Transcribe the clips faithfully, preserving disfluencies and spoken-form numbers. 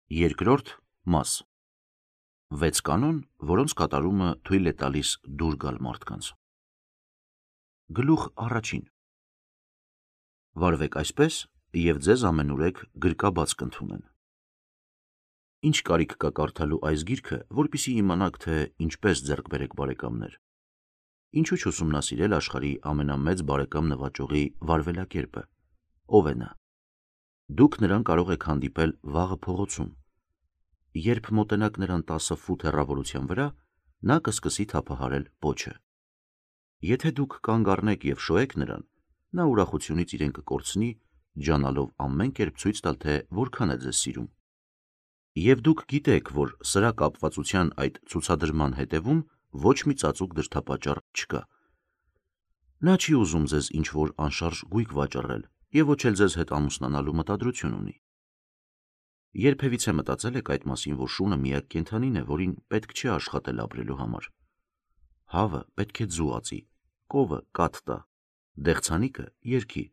Երկրորդ մաս. վեց կանոն, որոնց կատարումը թույլ է տալիս դուր գալ մարդկանց։ Գլուխ առաջին. վարվեք այսպես, և ձեզ ամենուրեք գրկաբաց կընդունեն։ Ինչ կարիք կա կարդալու այս գիրքը, որպեսզի իմանաք, թե ինչպես ձեռք բերեք բարեկամներ։ Ինչու չուսումնասիրել աշխարհի ամենամեծ բարեկամ նվաճողի վարվելակերպը։ Ով է նա։ Դուք նրան կարող եք հանդիպել վաղը փողոցում։ Երբ մոտենաք նրան տասը ֆուտ հեռավորության վրա, նա կսկսի թափահարել պոչը։ Եթե դուք կանգ առնեք և շոյեք նրան, նա ուրախությունից իրեն կկորցնի, ջանալով ամեն կերպ ցույց տալ, թե որքան է ձեզ սիրում։ Եվ դուք գիտեք, որ սրա կապվածության այդ ցուցադրման հետևում ոչ մի ծածուկ դրդապատճառ չկա։ Նա չի ուզում ձեզ ինչ-որ անշարժ գույք վաճառել և ոչ էլ ձեզ հետ ամուսնանալու մտադրություն ունի։ Երբևիցե մտածել եք այդ մասին, որ շունը միակ կենդանին է, որին պետք չէ աշխատել ապրելու համար։ Հավը պետք է ձու ածի, կովը կաթ տա, դեղցանիկը երգի,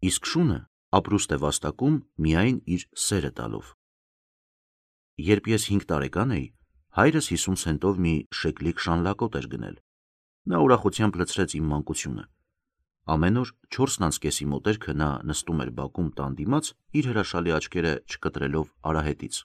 իսկ շունը ապրուստ է վաստակում միայն իր սերը տալով։ Երբ ես հինգ տարեկան էի, հայրս հիսուն սենտով մի շեկլիկ շանլակոտ էր գնել։ Նա ուրախությամբ լցրեց իմ մանկությունը։ Ամեն օր չորսն անց կեսի մոտերքը նա նստում էր բակում տան դիմաց, իր հրաշալի աչքերը չկտրելով արահետից։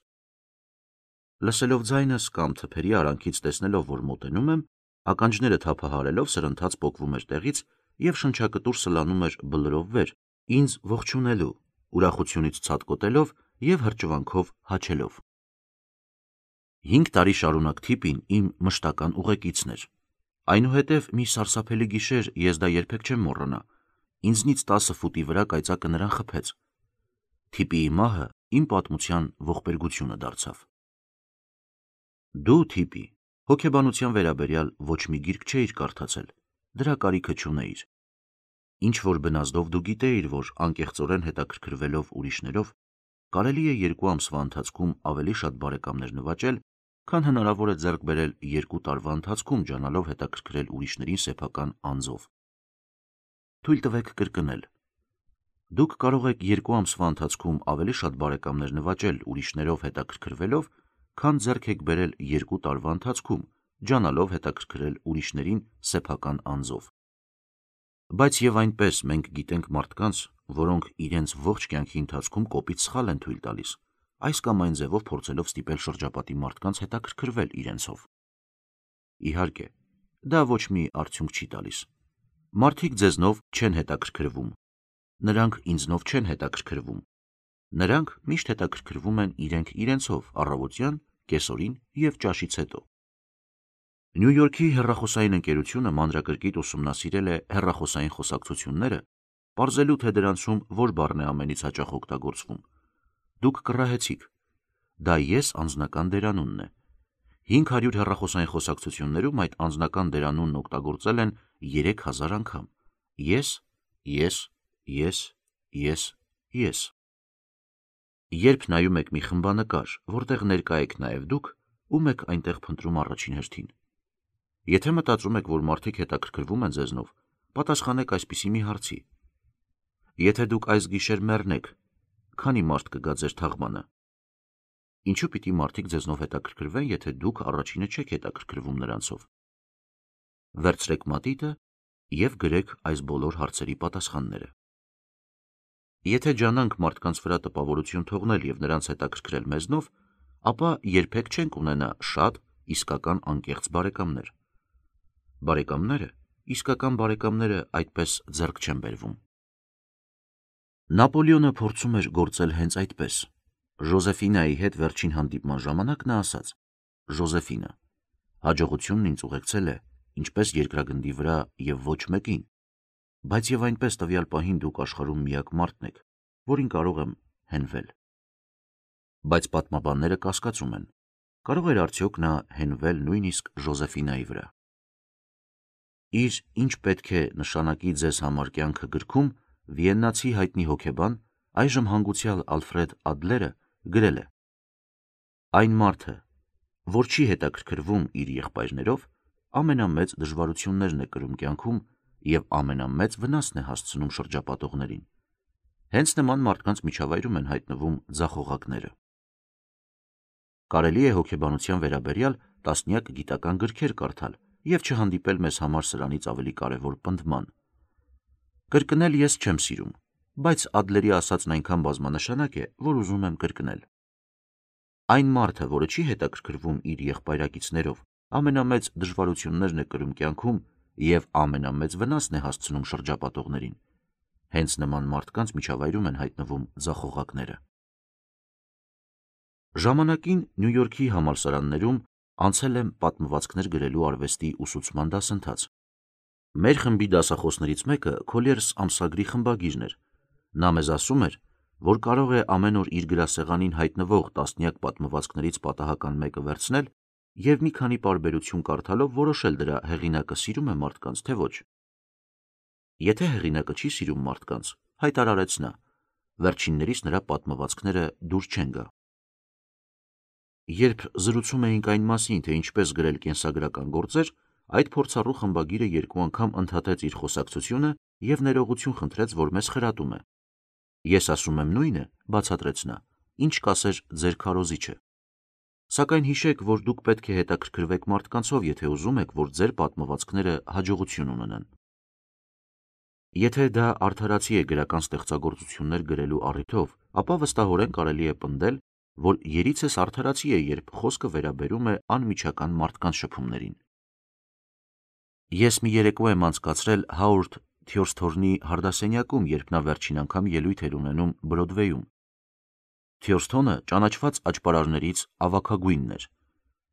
Լսելով ձայնս կամ թփերի արանքից տեսնելով, որ մոտենում եմ, ականջները թափահարելով սրընթաց պոկվում էր տեղից և շնչակտուր սլանում էր բլրով վեր, ինձ ողջունելու, ուրախությունից ցատկոտելով և հրճվանքով հաչելով։ Հինգ տարի շարունակ թիպին իմ մշտական ուղեկիցն էր։ Այնուհետև մի սարսափելի գիշեր, ես դա երբեք չեմ մոռանա, ինձնից տասը ֆուտի վրա կայծակը նրան խփեց։ Թիպիի մահը իմ պատմության ողբերգությունը դարձավ։ Դու, թիպի, հոգեբանության վերաբերյալ ոչ մի գիրք չէիր կարդացել, դրա կարիքը չունեիր։ Ինչ-որ բնազդով դու գիտեիր, որ անկեղծորեն հետաքրքրվելով ուրիշներով, կարելի է երկու ամսվա ընթացքում ավելի շատ բարեկամներ նվաճել, քան հնարավոր է ձեռք բերել երկու տարվա ընթացքում ջանալով հետաքրքրել ուրիշներին սեփական անձով։ Թույլ տվեք կրկնել. դուք կարող եք երկու ամսվա ընթացքում ավելի շատ բարեկամներ նվաճել ուրիշներով հետաքրքրվելով, քան ձեռք եք բերել երկու տարվա ընթացքում ջանալով հետաքրքրել ուրիշներին սեփական անձով։ Բայց և այնպես մենք գիտենք մարդկանց, որոնք իրենց ողջ կյանքի ընթացքում կոպիտ սխալ են թույլ տալիս, այս կամ այն ձևով փորձելով ստիպել շրջապատի մարդկանց հետաքրքրվել իրենցով։ Իհարկե, դա ոչ մի արդյունք չի տալիս։ Մարդիկ ձեզնով չեն հետաքրքրվում, նրանք ինձնով չեն հետաքրքրվում, նրանք միշտ հետաքրքրվում են իրենք իրենցով առավոտյան, կեսօրին և ճաշից հետո։ Նյու Յորքի հեռախոսային ընկերությունը մանրակրկիտ ուսումնասիրել է հեռախոսային խոսակցությունները, պարզելու, թե դրանցում որ բառն է ամենից հաճախ օգտագործվում։ Դուք կռահեցիք։ Դա ես անձնական դերանունն է։ Հինգ հարյուր հեռախոսային խոսակցություններում այդ անձնական դերանունն օգտագործել են երեք հազար անգամ։ Ես, ես, ես, ես, ես։ Երբ նայում եք մի խմբանկար, որտեղ ներկա եք նաև դուք, ում եք այնտեղ փնտրում առաջին հերթին։ Եթե մտածում եք, որ մարդիկ հետաքրքրվում են ձեզնով, պատասխանեք այսպիսի մի հարցի. եթե դուք այս գիշեր մեռնեք, քանի մարդ կգա ձեր թաղմանը։ Ինչու պիտի մարդիկ ձեզնով հետաքրքրվեն, եթե դուք առաջինը չեք հետաքրքրվում նրանցով։ Վերցրեք մատիտը և գրեք այս բոլոր հարցերի պատասխանները։ Եթե ջանանք մարդկանց վրա տպավորություն թողնել և նրանց հետաքրքրել մեզնով, ապա երբեք չենք ունենա շատ իսկական անկեղծ բարեկամներ։ Բարեկամները, իսկական բարեկամները այդպես ձեռք չեն բերվում։ Նապոլեոնը փորձում էր գործել հենց այդպես։ Ժոզեֆինայի հետ վերջին հանդիպման ժամանակ նա ասաց. «Ժոզեֆինա, հաջողությունն ինձ ուղեկցել է ինչպես երկրագնդի վրա և ոչ մեկին, բայց և այնպես տվյալ պահին դուք աշխարհում միակ մարդն եք, որին կարող եմ հենվել»։ Բայց պատմաբանները կասկածում են. կարող էր արդյոք նա հենվել նույնիսկ Ժոզեֆինայի վրա։ Իր «Ինչ պետք է նշանակի ձեզ համար կյանքը» գրքում վիեննացի հայտնի հոգեբան, այժմ հանգուցյալ Ալֆրեդ Ադլերը գրել է. «Այն մարդը, որ չի հետաքրքրվում իր եղբայրներով, ամենամեծ դժվարություններն է կրում կյանքում և ամենամեծ վնասն է հասցնում շրջապատողներին։ Հենց նման մարդկանց միջավայրում են հայտնվում ձախողակները»։ Կարելի է հոգեբանության վերաբերյալ տասնյակ գիտական գրքեր կարդալ և չհանդիպել մեզ համար սրանից ավելի կարևոր պնդման։ Կրկնել ես չեմ սիրում, բայց Ադլերի ասածն այնքան բազմանշանակ է, որ ուզում եմ կրկնել։ Այն մարդը, որը չի հետաքրքրվում իր եղբայրակիցներով, ամենամեծ դժվարություններն է կրում կյանքում և ամենամեծ վնասն է հասցնում շրջապատողներին։ Հենց նման մարդկանց միջավայրում են հայտնվում ձախողակները։ Ժամանակին Նյու Յորքի համալսարաններում անցել եմ պատմվածքներ գրելու արվեստի ուսուցման դասընթաց։ Մեր խմբի դասախոսներից մեկը Քոլիերս ամսագրի խմբագիրն էր։ Նա մեզ ասում էր, որ կարող է ամեն օր իր գրասեղանին հայտնվող տասնյակ պատմվածքներից պատահական մեկը վերցնել և մի քանի պարբերություն կարդալով որոշել դրա հեղինակը սիրում է մարդկանց, թե ոչ։ Եթե հեղինակը չի սիրում մարդկանց, հայտարարեց նա, վերջիններիս նրա պատմվածքները դուր չեն գա։ Երբ զրուցում էինք այն մասին, թե ինչպես գրել կենսագրական գործեր, այդ փորձառու խմբագիրը երկու անգամ ընդհատեց իր խոսակցությունը և ներողություն խնդրեց, որ մեզ խրատում է։ Ես ասում եմ նույնը, բացատրեց նա, ինչ կասեր ձեր քարոզիչը։ Սակայն հիշեք, որ դուք պետք է հետաքրքրվեք մարդկանցով, եթե ուզում եք, որ ձեր պատմվածքները հաջողություն ունենան։ Եթե դա արդարացի է գրական ստեղծագործություններ գրելու առիթով, ապա վստահորեն կարելի է պնդել, որ երիցս արդարացի է, երբ խոսքը վերաբերում է անմիջական մարդկանց շփումներին։ Ես մի երեկո եմ անցկացրել Հաուրդ Թյորսթորնի հարդասենյակում, երբ նա վերջին անգամ ելույթ էր ունենում Բրոդվեյում։ Թյորսթոնը ճանաչված աճպարարներից ավագագույնն էր։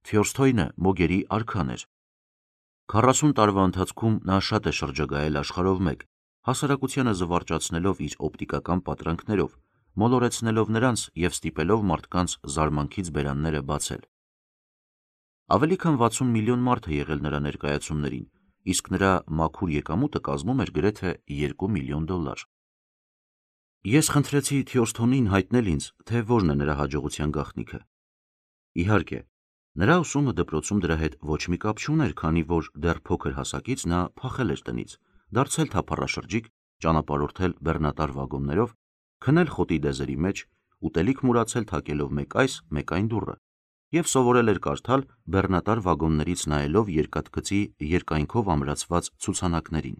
Թյորսթոյնը մոգերի արքան էր։ Քառասուն տարվա ընթացքում նա շատ է շրջագայել աշխարհով մեկ, հասարակությանը զվարճացնելով իր օպտիկական պատրանքներով, մոլորեցնելով նրանց և ստիպելով մարդկանց զարմանքից բերանները բացել։ Ավելի քան վաթսուն միլիոն մարդ է եղել նրա ներկայացումներին, իսկ նրա մաքուր եկամուտը կազմում էր գրեթե երկու միլիոն դոլար։ Ես խնդրեցի Թյորսթոնին հայտնել ինձ, թե որն է նրա հաջողության գաղտնիքը։ Իհարկե, նրա ուսումը դպրոցում դրա հետ ոչ մի կապ չուներ, քանի որ դեռ փոքր հասակից նա փախել էր տնից, դարձել թափառաշրջիկ, ճանապարհորդել բեռնատար վագոններով, քնել խոտի դեզերի մեջ, ուտելիք մուրացել թակելով մեկ այս, մեկ այն դուռը և սովորել էր կարդալ բեռնատար վագոններից նայելով երկաթգծի երկայնքով ամրացված ցուցանակներին։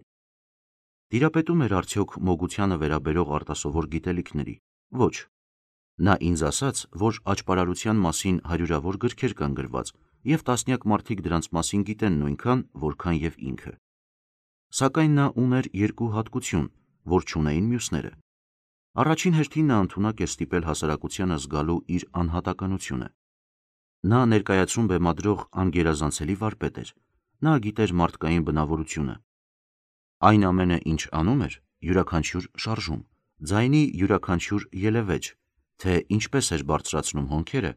Տիրապետում էր արդյոք մոգությանը վերաբերող արտասովոր գիտելիքների։ Ոչ։ Նա ինձ ասաց, որ աճպարարության մասին հարյուրավոր գրքեր կան գրված, և տասնյակ մարդիկ դրանց մասին գիտեն նույնքան, որքան և ինքը։ Սակայն նա ուներ երկու հատկություն, որ չունեին մյուսները։ Առաջին հերթին նա ընդունակ էր ստիպել հասարակությանը զգալու իր անհատականությունը։ Նա ներկայացում բեմադրող անգերազանցելի վարպետ էր։ Նա գիտեր մարդկային բնավորությունը։ Այն ամենը, ինչ անում էր, յուրաքանչյուր շարժում, ձայնի յուրաքանչյուր ելևէջ, թե ինչպես էր բարձրացնում հոնքերը,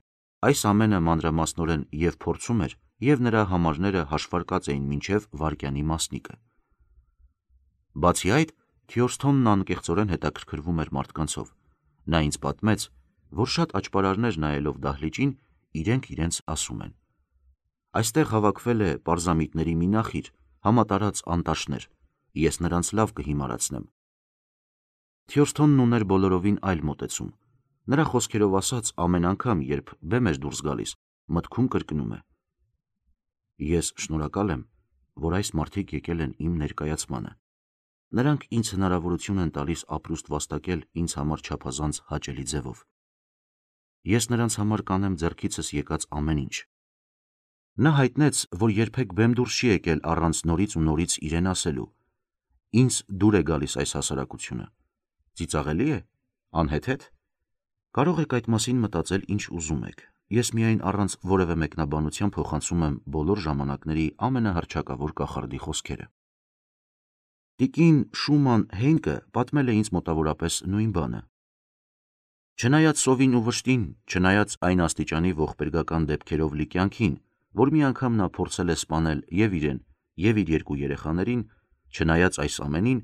այս ամենը մանրամասնորեն և փորձում էր, և նրա համարները հաշվարկած էին մինչև վայրկյանի մասնիկը։ Բացի այդ, Թյորսթոնն անկեղծորեն հետաքրքրվում էր մարդկանցով։ Նա ինձ պատմեց, որ շատ աճպարարներ նայելով դահլիճին, իրենք իրենց ասում են. «Այստեղ հավաքվել է պարզամիտների մի նախիր, համատարած անտաշներ, ես նրանց լավ կհիմարացնեմ»։ Թյորսթոնն ուներ բոլորովին այլ մոտեցում։ Նրա խոսքերով ասած, ամեն անգամ, երբ բեմ էր դուրս գալիս, մտքում կրկնում է. «Ես շնորհակալ եմ, որ այս մարդիկ եկել են իմ ներկայացմանը։ Նրանք ինձ հնարավորություն են տալիս ապրուստ վաստակել ինձ համար չափազանց հաճելի ձևով։ Ես նրանց համար կանեմ ձեռքիցս եկած ամեն ինչ»։ Նա հայտնեց, որ երբեք բեմ դուրս չի եկել առանց նորից ու նորից իրեն ասելու. «Ինձ դուր է գալիս այս հասարակությունը։ Ծիծաղելի է, անհեթեթ։ Կարող եք այդ մասին մտածել ինչ ուզում եք։ Ես միայն առանց որևէ մեկնաբանության փոխանցում եմ բոլոր ժամանակների ամենահռչակավոր կախարդի խոսքերը»։ Տիկին Շուման Հեյնկը պատմել է ինձ մոտավորապես նույն բանը։ Չնայած սովին ու վշտին, չնայած այն աստիճանի ողբերգական դեպքերով լի կյանքին, որ մի անգամ նա փորձել է սպանել և իրեն, և իր երկու երեխաներին, չնայած այս ամենին,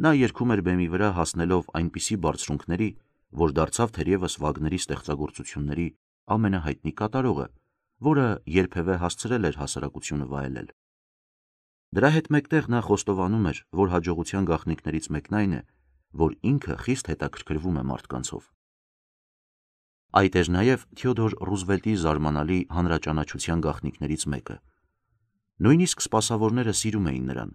նա երգում էր բեմի վրա հասնելով այնպիսի բարձրունքների, որ դարձավ թերևս Վագների ստեղծագործությունների ամենահայտնի կատարողը, որը երբևէ հասցրել էր հասարակությունը վայելել։ Դրա հետ մեկտեղ նա խոստովանում էր, որ հաջողության գաղտնիքներից մեկն այն է, որ ինքը խիստ հետաքրքրվում է մարդկանցով։ Այդ էր նաև Թեոդոր Ռուզվելտի զարմանալի հանրաճանաչության գաղտնիքներից մեկը։ Նույնիսկ սպասավորները սիրում էին նրան։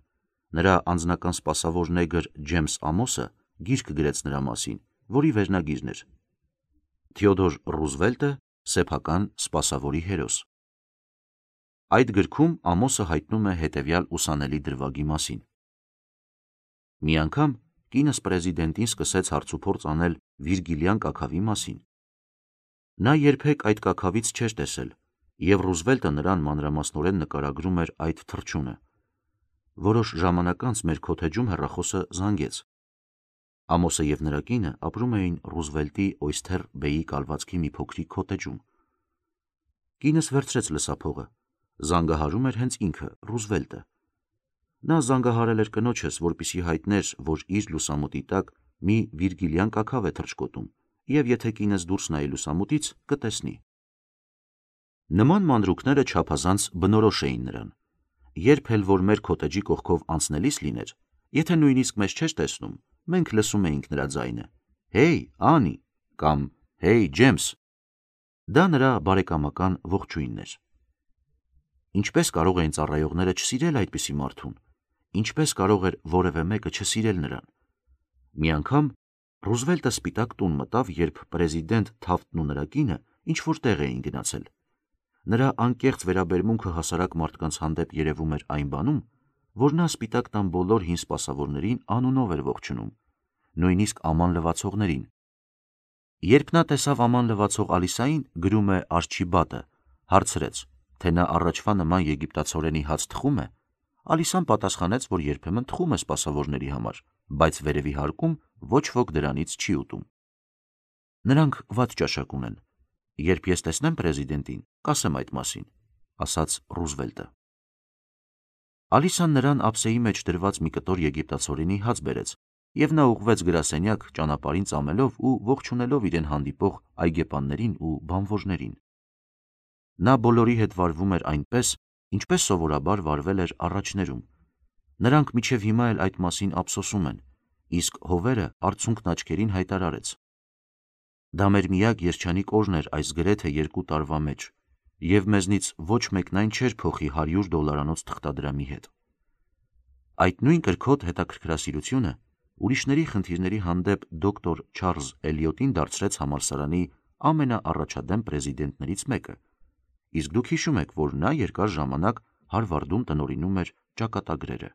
Նրա անձնական սպասավոր նեգր Ջեյմս Ամոսը գիրք գրեց նրա մասին, որի վերնագիրն էր «Թեոդոր Ռուզվելտը, սեփական սպասավորի հերոս»։ Այդ գրքում Ամոսը հայտնում է հետևյալ ուսանելի դրվագի մասին. «Մի անգամ կինս պրեզիդենտին սկսեց հարցուփորձ անել Վիրգիլյան կաքավի մասին։ Նա երբեք այդ կաքավից չէր տեսել, և Ռուզվելտը նրան մանրամասնորեն նկարագրում էր այդ թռչունը։ Որոշ ժամանակ անց մեր քոթեջում հեռախոսը զանգեց։ Ամոսը և նրա կինը ապրում էին Ռուզվելտի Օյսթեր Բեյի կալվածքի մի փոքրիկ քոթեջում։ Կինս վերցրեց լսափողը, զանգահարում էր հենց ինքը, Ռուզվելտը։ Նա զանգահարել էր կնոջս, որպեսզի հայտներ, որ իր լուսամուտի տակ մի Վիրգիլյան կաքավ է թռչկոտում, և եթե կինս դուրս նայի լուսամուտից, կտեսնի»։ Նման մանրուքները չափազանց բնորոշ էին նրան։ Երբ էլ որ մեր քոթեջի կողքով անցնելիս լիներ, եթե նույնիսկ մեզ չէր տեսնում, մենք լսում էինք նրա ձայնը. «Հեյ, Անի» կամ «Հեյ, Ջեյմս»։ Դա նրա բարեկամական ողջույնն էր։ Ինչպե՞ս կարող էին ծառայողները չսիրել այդպիսի մարդուն։ Ինչպե՞ս կարող էր որևէ մեկը չսիրել նրան։ Մի անգամ Ռուզվելտը սպիտակ տուն մտավ, երբ պրեզիդենտ Թաֆթն ու նրա կինը ինչ-որ տեղ էին գնացել։ Նրա անկեղծ վերաբերմունքը հասարակ մարդկանց հանդեպ երևում էր այն բանում, որ նա Սպիտակ տան բոլոր հին սպասավորներին անունով էր ողջունում, նույնիսկ աման լվացողներին։ Երբ նա տեսավ աման լվացող Ալիսային, գրում է Արչիբադը, հարցրեց, թե նա առաջվա նման եգիպտացորենի հաց թխում է, Ալիսան պատասխանեց, որ երբեմն թխում է սպասավորների համար, բայց վերևի հարկում ոչ ոք դրանից չի ուտում։ Նրանք վատ ճաշակ ունեն։ Երբ ես տեսնեմ պրեզիդենտին, կասեմ այդ մասին, ասաց Ռուզվելտը։ Ալիսան նրան ափսեի մեջ դրված մի կտոր եգիպտացորենի հաց բերեց, և նա ուղղվեց գրասենյակ ճանապարհին ծամելով ու ողջունելով իրեն հանդիպող այգեպաններին ու բանվորներին։ Նա բոլորի հետ վարվում էր այնպես, ինչպես սովորաբար վարվել էր առաջներում։ Նրանք մինչև հիմա էլ այդ մասին ափսոսում են, իսկ հովերը արցունքն աչքերին հայտարարեց. «Դա մեր միակ երջանիկ օրն էր այս գրեթե երկու տարվա մեջ, և մեզնից ոչ մեկն այն չէր փոխի հարյուր դոլարանոց թղթադրամի հետ»։ Այդ նույն կրքոտ հետաքրքրասիրությունը ուրիշների խնդիրների հանդեպ դոկտոր Չարլզ Էլիոտին դարձրեց համալսարանի ամենաառաջադեմ պրեզիդենտներից մեկը, իսկ դուք հիշում եք, որ նա երկար ժամանակ Հարվարդում տնօրինում էր ճակատագրերը։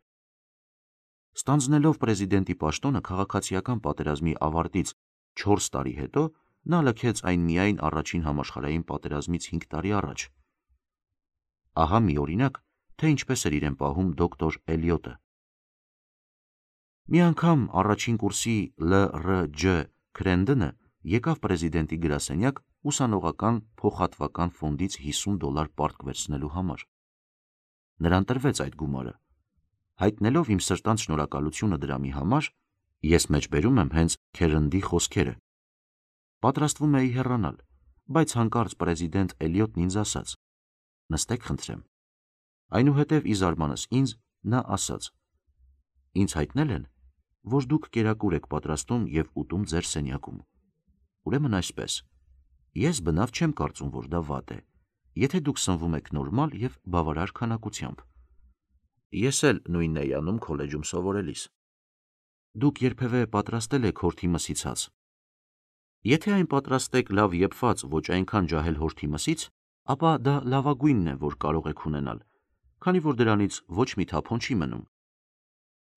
Ստանձնելով պրեզիդենտի պաշտոնը քաղաքացիական պատերազմի ավարտից չորս տարի հետո, նա լքեց այն միայն առաջին համաշխարհային պատերազմից հինգ տարի առաջ։ Ահա մի օրինակ, թե ինչպես էր իրեն պահում դոկտոր Էլիոտը։ Մի անգամ առաջին կուրսի Լ Ռ Ջ Քրենդոնը եկավ պրեզիդենտի գրասենյակ ուսանողական փոխհատվական ֆոնդից հիսուն դոլար պարտք վերցնելու համար։ Նրան տրվեց այդ գումարը։ Հայտնելով իմ սրտանց շնորհակալությունը դրամի համար, ես մեջբերում եմ հենց Քերնդի խոսքերը։ Պատրաստվում էի հեռանալ, բայց հանկարծ պրեզիդենտ Էլիոտն ինձ ասաց. «Նստեք խնդրեմ»։ Այնուհետև ի զարմանս ինձ, նա ասաց. «Ինձ հայտնել են, որ դուք կերակուր եք պատրաստում և ուտում ձեր սենյակում։ Ուրեմն այսպես, ես բնավ չեմ կարծում, որ դա վատ է, եթե դուք սնվում եք նորմալ և բավարար քանակությամբ։ Ես էլ նույնն էի անում քոլեջում սովորելիս։ Դուք երբևէ պատրաստել եք հորթի մսից հաց։ Եթե այն պատրաստեք լավ եփված, ոչ այնքան ջահել հորթի մսից, ապա դա լավագույնն է, որ կարող եք ունենալ, քանի որ դրանից ոչ մի թափոն չի մնում։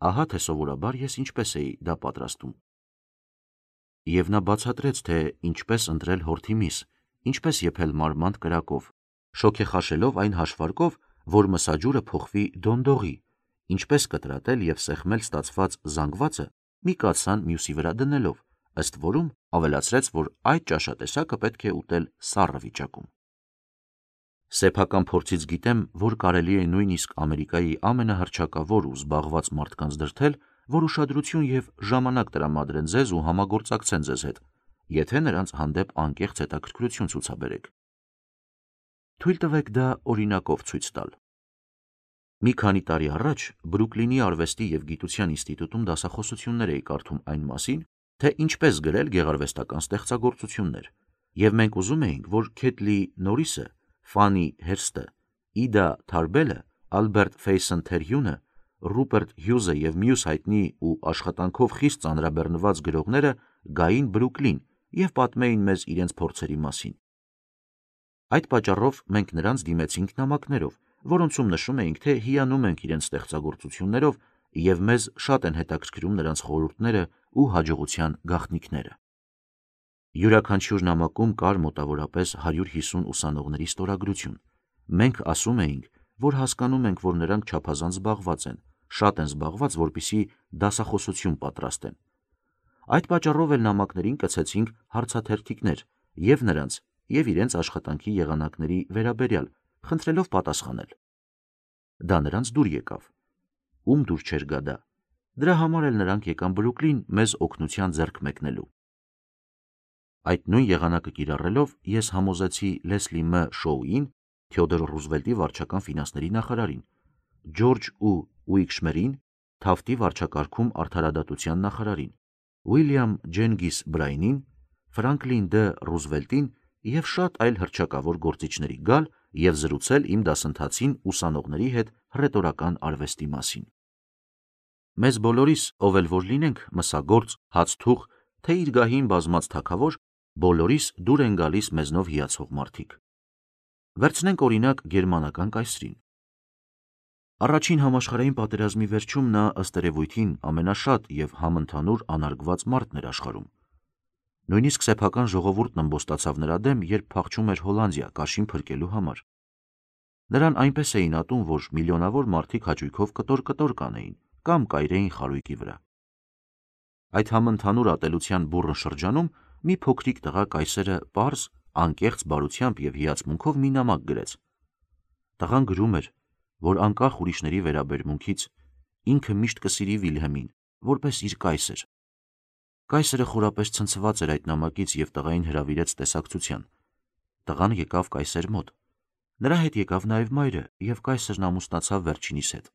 Ահա թե սովորաբար ես ինչպես էի դա պատրաստում։ Եվ նա բացատրեց, թե ինչպես ընտրել հորթի միս, ինչպես եփել մարմանդ կրակով, շոգեխաշելով այն հաշվարկով, որ մսաջուրը փոխվի դոնդողի, ինչպես կտրատել և սեղմել ստացված զանգվածը մի կաթսան մյուսի վրա դնելով, ըստ որում ավելացրեց, որ այդ ճաշատեսակը պետք է ուտել սառը վիճակում։ Սեփական փորձից գիտեմ, որ կարելի է նույնիսկ Ամերիկայի ամենահռչակավոր ու զբաղված մարդկանց դրդել, որ ուշադրություն և ժամանակ տրամադրեն ձեզ ու համագործակցեն ձեզ հետ, եթե նրանց հանդեպ անկեղծ հետաքրքրություն ցուցաբերեք։ Թույլ տվեք դա օրինակով ցույց տալ։ Մի քանի տարի առաջ Բրուքլինի արվեստի և գիտության ինստիտուտում դասախոսություններ էի կարդում այն մասին, թե ինչպես գրել գեղարվեստական ստեղծագործություններ, Եվ մենք ուզում էինք, որ Քեթլի Նորիսը, Ֆանի Հերստը, Իդա Թարբելը, Ալբերտ Ֆեյսն Թերհյունը, Ռուպերտ Հյուզը և մյուս հայտնի ու աշխատանքով խիստ ծանրաբեռնված գրողները գային Բրուքլին և պատմեին մեզ իրենց փորձերի մասին։ Այդ պատճառով մենք նրանց դիմեցինք նամակներով, որոնցում նշում էինք, թե հիանում ենք իրենց ստեղծագործություններով և մեզ շատ են հետաքրքրում նրանց խորհուրդները ու հաջողության գաղտնիքները։ Յուրաքանչյուր նամակում կար մոտավորապես հարյուր հիսուն ուսանողների ստորագրություն։ Մենք ասում էինք, որ հասկանում ենք, որ նրանք չափազանց զբաղված են, շատ են զբաղված, որպեսզի դասախոսություն պատրաստեն։ Այդ պատճառով էլ նամակներին կցեցինք հարցաթերթիկներ և նրանց, և իրենց աշխատանքի եղանակների վերաբերյալ, խնդրելով պատասխանել։ Դա նրանց դուր եկավ։ Ում դուր չէր գա դա։ Դրա համար էլ նրանք եկան Բրուքլին մեզ օգնության ձեռք մեկնելու։ Այդ նույն եղանակը կիրառելով ես համոզեցի Լեսլի Մ. Շոուին, Թեոդոր Ռուզվելտի վարչական ֆինանսների նախարարին, Ջորջ ու Ուիքշմերին, Թավթի վարչակարգում արդարադատության նախարարին, Ուիլյամ Ջենգիս Բրայնին, Ֆրանկլին Դ. Ռուզվելտին և շատ այլ հռչակավոր գործիչների գալ և զրուցել իմ դասընթացին ուսանողների հետ հռետորական արվեստի մասին։ Մեզ բոլորիս, ով էլ որ լինենք, մսագործ, հացթուղ, թե իր գահին բազմած թագավոր, բոլորիս դուր են գալիս մեզնով հիացող մարդիկ։ Վերցնենք օրինակ գերմանական կայսրին։ Առաջին համաշխարհային պատերազմի վերջում նա ըստ երևույթին ամենաշատ և համընդհանուր անարգված մարդն էր աշխարհում։ Նույնիսկ սեփական ժողովուրդն ըմբոստացավ նրա դեմ, երբ փախչում էր Հոլանդիա կաշին փրկելու համար։ Նրան այնպես էին ատում, որ միլիոնավոր մարդիկ հաճույքով կտոր-կտոր կանեին կամ կայրեին խարույկի վրա։ Այդ համընդհանուր ատելության բուռն շրջանում մի փոքրիկ տղա կայսրը պարզ, անկեղծ բարությամբ և հիացմունքով մի նամակ գրեց։ Տղան գրում էր, որ անկախ ուրիշների վերաբերմունքից ինքը միշտ կսիրի Վիլհելմին, որպես իր կայսր։ Կայսրը խորապես ցնցված էր այդ նամակից և տղային հրավիրեց տեսակցության։ Տղան եկավ կայսր մոտ։ Նրա հետ եկավ նաև մայրը, և կայսրն ամուսնացավ վերջինիս հետ։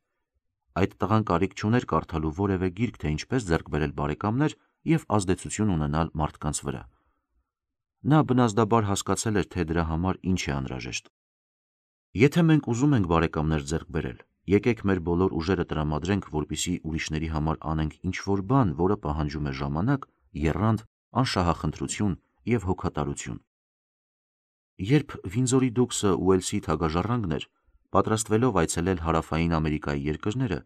Այդ տղան կարիք չուներ կարդալու որևէ գիրք, թե ինչպես ձեռք բերել բարեկամներ և ազդեցություն ունենալ մարդկանց վրա։ Նա բնազդաբար հասկացել էր, թե դրա համար ինչ է անհրաժեշտ։ Եթե մենք ուզում ենք բարեկամներ ձեռք բերել, եկեք մեր բոլոր ուժերը տրամադրենք, որպեսզի ուրիշների համար անենք ինչ-որ բան, որը պահանջում է ժամանակ, եռանդ, անշահախնդրություն և հոգատարություն։ Երբ Վինձորի դուքսը Ուելսի թագաժառանգն էր, պատրաստվելով այցելել Հարավային Ամերիկայի երկրները,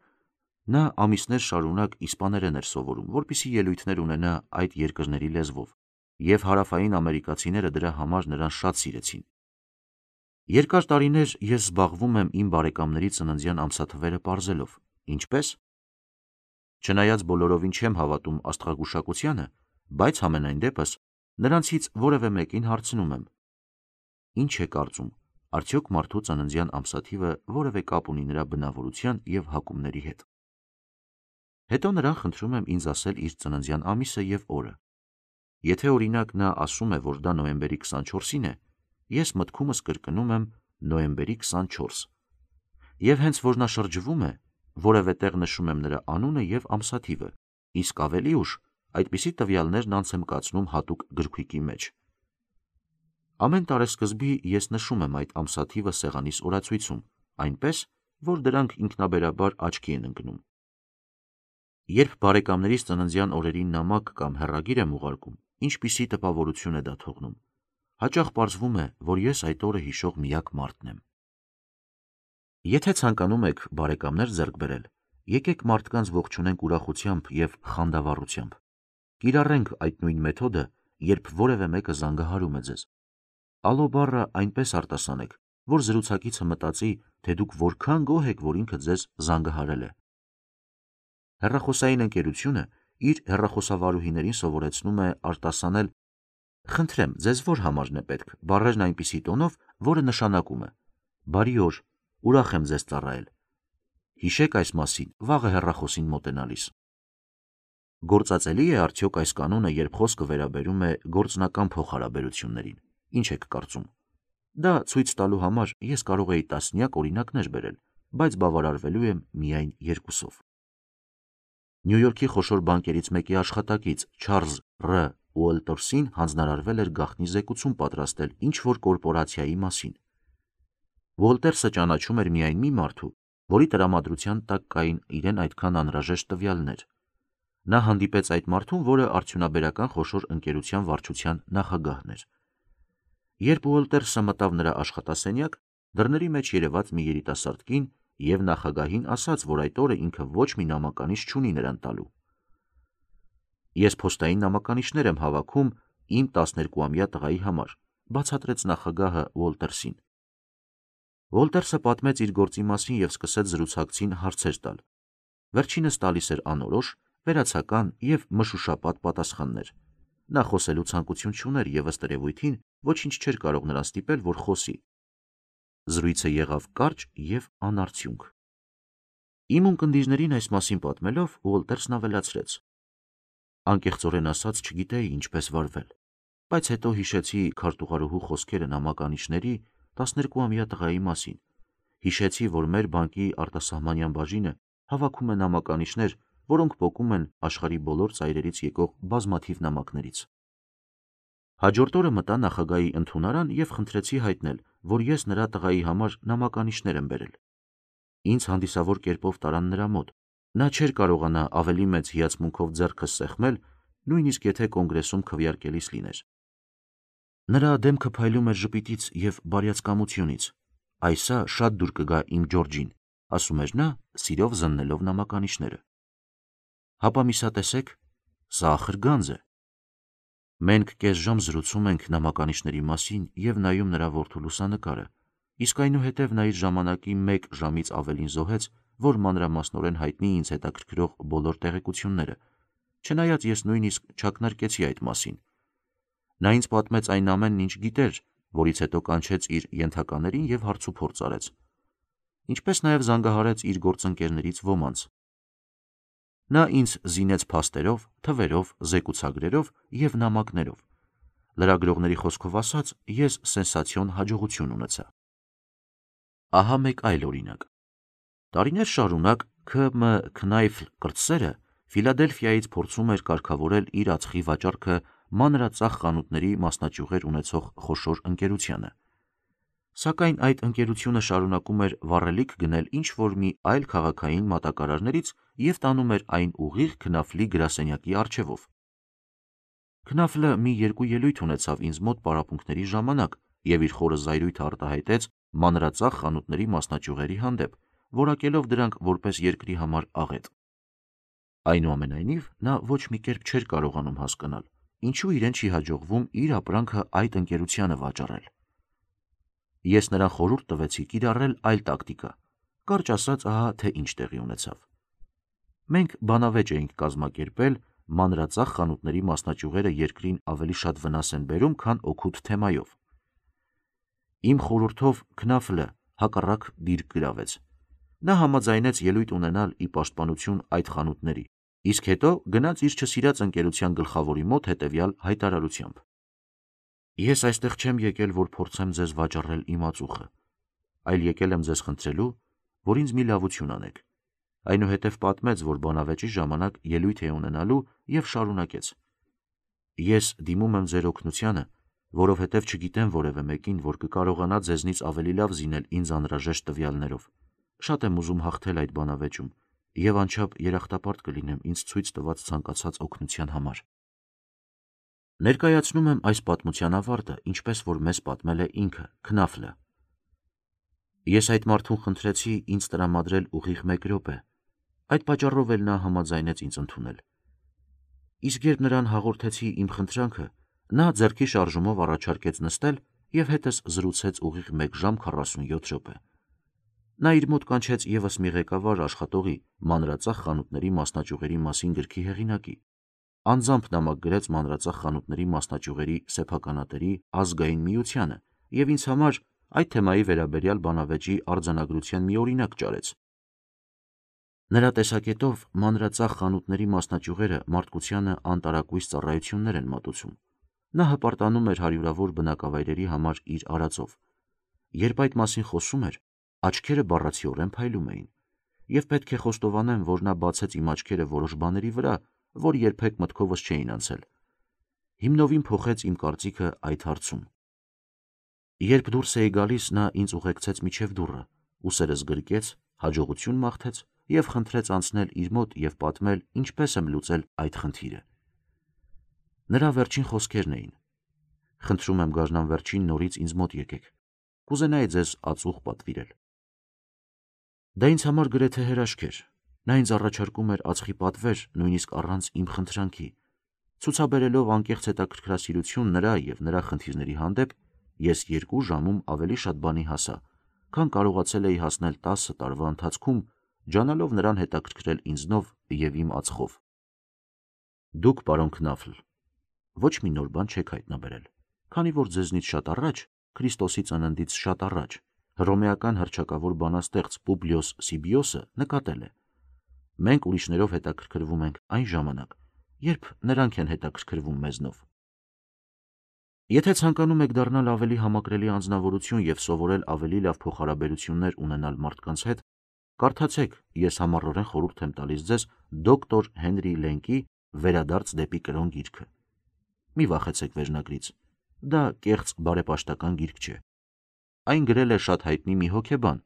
նա ամիսներ շարունակ իսպաներեն էր սովորում, որպեսզի ելույթներ ունենա այդ երկրների լեզվով, և հարավային ամերիկացիները դրա համար նրան շատ սիրեցին։ Երկար տարիներ ես զբաղվում եմ իմ բարեկամների ծննդյան ամսաթվերը պարզելով։ Ինչպե՞ս։ Չնայած բոլորովին չեմ հավատում աստղագուշակությանը, բայց համենայն դեպս նրանցից որևէ մեկին հարցնում եմ. Ինչ է կարծում, արդյոք մարդու ծննդյան ամսաթիվը որևէ կապ ունի նրա բնավորության և հակումների հետ։ Հետո նրան խնդրում եմ ինձ ասել իր ծննդյան ամիսը և օրը։ Եթե օրինակ նա ասում է, որ դա նոյեմբերի քսանչորսին է, ես մտքումս կրկնում եմ նոյեմբերի քսանչորս, և հենց որ նա շրջվում է, որևէ տեղ նշում եմ նրա անունը և ամսաթիվը, իսկ ավելի ուշ այդպիսի տվյալներն անց եմ կացնում հատուկ գրքույկի մեջ։ Ամեն տարեսկզբի ես նշում եմ այդ ամսաթիվը սեղանիս օրացույցում, այնպես, որ դրանք ինքնաբերաբար աչքի են ընկնում։ Երբ բարեկամներիս ծննդյան օրերին նամակ կամ հեռագիր եմ ուղարկում, ինչպիսի տպավորություն է դա թողնում։ Հաճախ պարզվում է, որ ես այդ օրը հիշող միակ մարդն եմ։ Եթե ցանկանում եք բարեկամներ ձեռք բերել, եկեք մարդկանց ողջունենք ուրախությամբ և խանդավառությամբ։ Կիրառենք այդ նույն մեթոդը, երբ որևէ մեկը զանգահարում է ձեզ։ Ալո բառը այնպես արտասանեք, որ զրուցակիցը մտածի, թե դուք որքան գոհ եք, որ ինքը ձեզ զանգահարել է։ Հեռախոսային ընկերությունը իր հեռախոսավարուհիներին սովորեցնում է արտասանել «Խնդրեմ, ձեզ որ համարն է պետք» բառերն այնպիսի տոնով, որը նշանակում է «Բարի օր, ուրախ եմ ձեզ ծառայել։ Հիշեք այս մասին վաղը հեռախոսին մոտենալիս»։ Գործածելի է արդյոք այս կանոնը, երբ խոսքը վերաբերում է գործնական փոխհարաբերություններին։ Ինչ եք կարծում։ Դա ցույց տալու համար ես կարող էի տասնյակ օրինակներ բերել, բայց բավարարվելու եմ միայն երկուսով։ Նյու Յորքի խոշոր բանկերից մեկի աշխատակից Չարլզ Ռ. Ուոլտերսին հանձնարարվել էր գաղտնի զեկուցում պատրաստել ինչ-որ կորպորացիայի մասին։ Ուոլտերսը ճանաչում էր միայն մի մարդու, որի տրամադրության տակ կային իրեն այդքան անհրաժեշտ տվյալներ։ Նա հանդիպեց այդ մարդուն, որը արդյունաբերական խոշոր ընկերության վարչության նախագահն էր։ Երբ Ուոլտերսը մտավ նրա աշխատասենյակ, դռների մեջ երևաց մի երիտասարդ կին և նախագահին ասաց, որ այդ օրը ինքը ոչ մի նամականիշ չունի նրան տալու։ «Ես փոստային նամականիշներ եմ հավաքում իմ տասներկուամյա տղայի համար», բացատրեց նախագահը Ուոլտերսին։ Ուոլտերսը պատմեց իր գործի մասին և սկսեց զրուցակցին հարցեր տալ։ Վերջինս տալիս էր անորոշ, վերացական և մշուշապատ պատասխաններ։ Նա խոսելու ցանկություն չուներ և ըստ երևույթին ոչինչ չէր կարող նրան ստիպել, որ խոսի։ Զրույցը եղավ կարճ և անարդյունք։ Իմ ունկնդիրներին այս մասին պատմելով Ուոլտերսն ավելացրեց. «Անկեղծորեն ասած չգիտեի ինչպես վարվել, բայց հետո հիշեցի քարտուղարուհու խոսքերը նամականիշների տասներկուամյա տղայի մասին, հիշեցի, որ մեր բանկի արտասահմանյան բաժինը հավաքում է նամականիշներ, որոնք պոկում են աշխարհի բոլոր ծայրերից եկող բազմաթիվ նամակներից։ Հաջորդ օրը մտա նախագահի ընդունարան և խնդրեցի հայտնել, որ ես նրա տղայի համար նամականիշներ եմ բերել։ Ինձ հանդիսավոր կերպով տարան նրա մոտ։ Նա չէր կարողանա ավելի մեծ հիացմունքով ձեռքս սեղմել, նույնիսկ եթե կոնգրեսում քվեարկելիս լիներ։ Նրա դեմքը փայլում էր ժպիտից և բարյացկամությունից։ Այսա շատ դուր կգա իմ Ջորջին, ասում էր նա, սիրով զննելով նամականիշները։ Հապա միսա տեսեք, սա ախր գանձ է։ Մենք կես ժամ զրուցում ենք նամականիշների մասին և նայում նրա որդու լուսանկարը, իսկ այնուհետև նա իր ժամանակի մեկ ժամից ավելին զոհեց, որ մանրամասնորեն հայտնի ինձ հետաքրքրող բոլոր տեղեկությունները, չնայած ես նույնիսկ չակնարկեցի այդ մասին։ Նա ինձ պատմեց այն ամենն, ինչ գիտեր, որից հետո կանչեց իր ենթականերին և հարցուփորձ արեց, ինչպես նաև զանգահարեց իր գործընկերներից ոմանց։ Նա ինձ զինեց փաստերով, թվերով, զեկուցագրերով և նամակներով։ Լրագրողների խոսքով ասած, ես սենսացիոն հաջողություն ունեցա։ Ահա մեկ այլ օրինակ։ Տարիներ շարունակ Քը Մը Քնայֆլ կրտսերը Ֆիլադելֆիայից փորձում էր կարգավորել իր ածխի վաճառքը մանրածախ խանութների մասնաճյուղեր ունեցող խոշոր ընկերությանը։ Սակայն այդ ընկերությունը շարունակում էր վառելիք գնել ինչ-որ մի այլ քաղաքային մատակարարներից և տանում էր այն ուղիղ Քնաֆլի գրասենյակի առջևով։ Քնաֆլը մի երկու ելույթ ունեցավ ինձ մոտ պարապմունքների ժամանակ և իր խորը զայրույթը արտահայտեց մանրածախ խանութների մասնաճյուղերի հանդեպ, որակելով դրանք որպես երկրի համար աղետ։ Այնուամենայնիվ, նա ոչ մի կերպ չէր կարողանում հասկանալ, ինչու իրեն չի հաջողվում իր ապրանքը այդ ընկերությանը վաճառել։ Ես նրան խորհուրդ տվեցի կիրառել այլ տակտիկա։ Կարճ ասած, ահա թե ինչ տեղի ունեցավ։ Մենք բանավեճ էինք կազմակերպել մանրածախ խանութների մասնաճյուղերը երկրին ավելի շատ վնաս են բերում, քան օգուտ թեմայով։ Իմ խորհրդով Քնաֆլը հակառակ դիրք գրավեց։ Նա համաձայնեց ելույթ ունենալ ի պաշտպանություն այդ խանութների, իսկ հետո գնաց իր չսիրած ընկերության գլխավորի մոտ հետևյալ հայտարարությամբ. «Ես այստեղ չեմ եկել, որ փորձեմ ձեզ վաճառել իմ ածուխը, այլ եկել եմ ձեզ խնդրելու, որ ինձ մի լավություն անեք»։ Այնուհետև պատմեց, որ բանավեճի ժամանակ ելույթ է ունենալու և շարունակեց. «Ես դիմում եմ ձեր օգնությանը, որովհետև չգիտեմ որևէ մեկին, որ կկարողանա ձեզնից ավելի լավ զինել ինձ անհրաժեշտ տվյալներով։ Շատ եմ ուզում հաղթել այդ բանավեճում և անչափ երախտապարտ կլինեմ ինձ ցույց տված ցանկացած օգնության համար»։ Ներկայացնում եմ այս պատմության ավարտը, ինչպես որ մեզ պատմել է ինքը՝ Քնաֆլը։ Ես այդ մարդուն խնդրեցի ինձ տրամադրել ուղիղ մեկ րոպե։ Այդ պատճառով էլ նա համաձայնեց ինձ ընդունել։ Իսկ երբ նրան հաղորդեցի իմ խնդրանքը, նա ձեռքի շարժումով առաջարկեց նստել և հետս զրուցեց ուղիղ մեկ ժամ քառասունյոթ րոպե։ Նա իր մոտ կանչեց ևս մի ղեկավար աշխատողի մանրածախ խանութների մասնաճյուղերի մասին գրքի հեղինակի, անձամբ նամակ գրեց մանրածախ խանութների մասնաճյուղերի սեփականատերի ազգային միությանը և ինձ համար այդ թեմայի վերաբերյալ բանավեճի արձանագրության մի օրինակ ճարեց։ Նրա տեսակետով մանրածախ խանութների մասնաճյուղերը մարդկությանը անտարակույս ծառայություններ են մատուցում։ Նա հպարտանում էր հարյուրավոր բնակավայրերի համար իր արածով։ Երբ այդ մասին խոսում էր, աչքերը բառացիորեն փայլում էին, և պետք է խոստովանեմ, որ նա բացեց իմ աչքերը որոշ բաների վրա, որ երբեք մտքովս չէին անցել։ հիմնովին փոխեց իմ կարծիքը այդ հարցում։ Երբ դուրս էի գալիս, նա ինձ ուղեկցեց մինչև դուռը, ուսերս գրկեց, հաջողություն մաղթեց և խնդրեց անցնել իր մոտ և պատմել, ինչպես եմ լուծել այդ խնդիրը։ Նրա վերջին խոսքերն էին. «Խնդրում եմ գարնան վերջին նորից ինձ մոտ եկեք, կուզենայի ձեզ ածուխ պատվիրել»։ Դա ինձ համար գրեթե հրաշք էր։ Նա ինձ առաջարկում էր ածխի պատվեր նույնիսկ առանց իմ խնդրանքի, ցուցաբերելով անկեղծ հետաքրքրասիրություն նրա և նրա խնդիրների հանդեպ, ես երկու ժամում ավելի շատ բանի հասա, քան կարողացել էի հասնել տասը տարվա ընթացքում, ջանալով նրան հետաքրքրել ինձնով և իմ ածխով։ Դուք, պարոն Քնաֆլ, ոչ մի նոր բան չեք հայտնաբերել, քանի որ ձեզնից շատ առաջ, Քրիստոսի ծննդից շատ առաջ, հռոմեական հռչակավոր բանաստեղծ Պուբլիոս Սիբիոսը նկատել է. մենք ուրիշներով հետաքրքրվում ենք այն ժամանակ, երբ նրանք են հետաքրքրվում մեզնով։ Եթե ցանկանում եք դառնալ ավելի համակրելի անձնավորություն և սովորել ավելի լավ փոխհարաբերություններ ունենալ մարդկանց հետ, կարդացեք, ես համառորեն խորհուրդ եմ տալիս ձեզ դոկտոր Հենրի Լենկի «Վերադարձ դեպի կրոն» գիրքը։ Մի վախեցեք վերնագրից, դա կեղծ բարեպաշտական գիրք չէ։ Այն գրել է շատ հայտնի մի հոգեբան,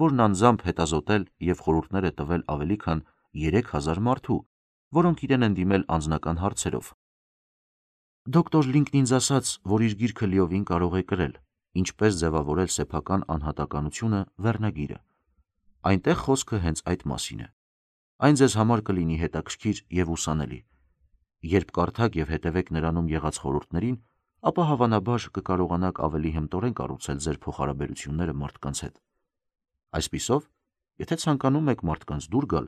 որն անձամբ հետազոտել և խորհուրդներ է տվել ավելի քան երեք հազար մարդու, որոնք իրեն են դիմել անձնական հարցերով։ Դոկտոր Լինկն ինձ ասաց, որ իր գիրքը լիովին կարող է կրել «Ինչպես ձևավորել սեփական անհատականությունը» վերնագիրը։ Այնտեղ խոսքը հենց այդ մասին է։ Այն ձեզ համար կլինի հետաքրքիր և ուսանելի։ Երբ կարդաք և հետևեք նրանում եղած խորհուրդներին, ապա հավանաբար կկարողանաք ավելի հմտորեն կառուցել ձեր փոխհարաբերությունները մարդկանց հետ։ Այսպիսով, եթե ցանկանում եք մարդկանց դուր գալ,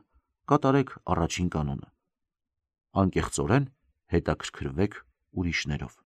կատարեք առաջին կանոնը. անկեղծորեն հետաքրքրվեք ուրիշներով։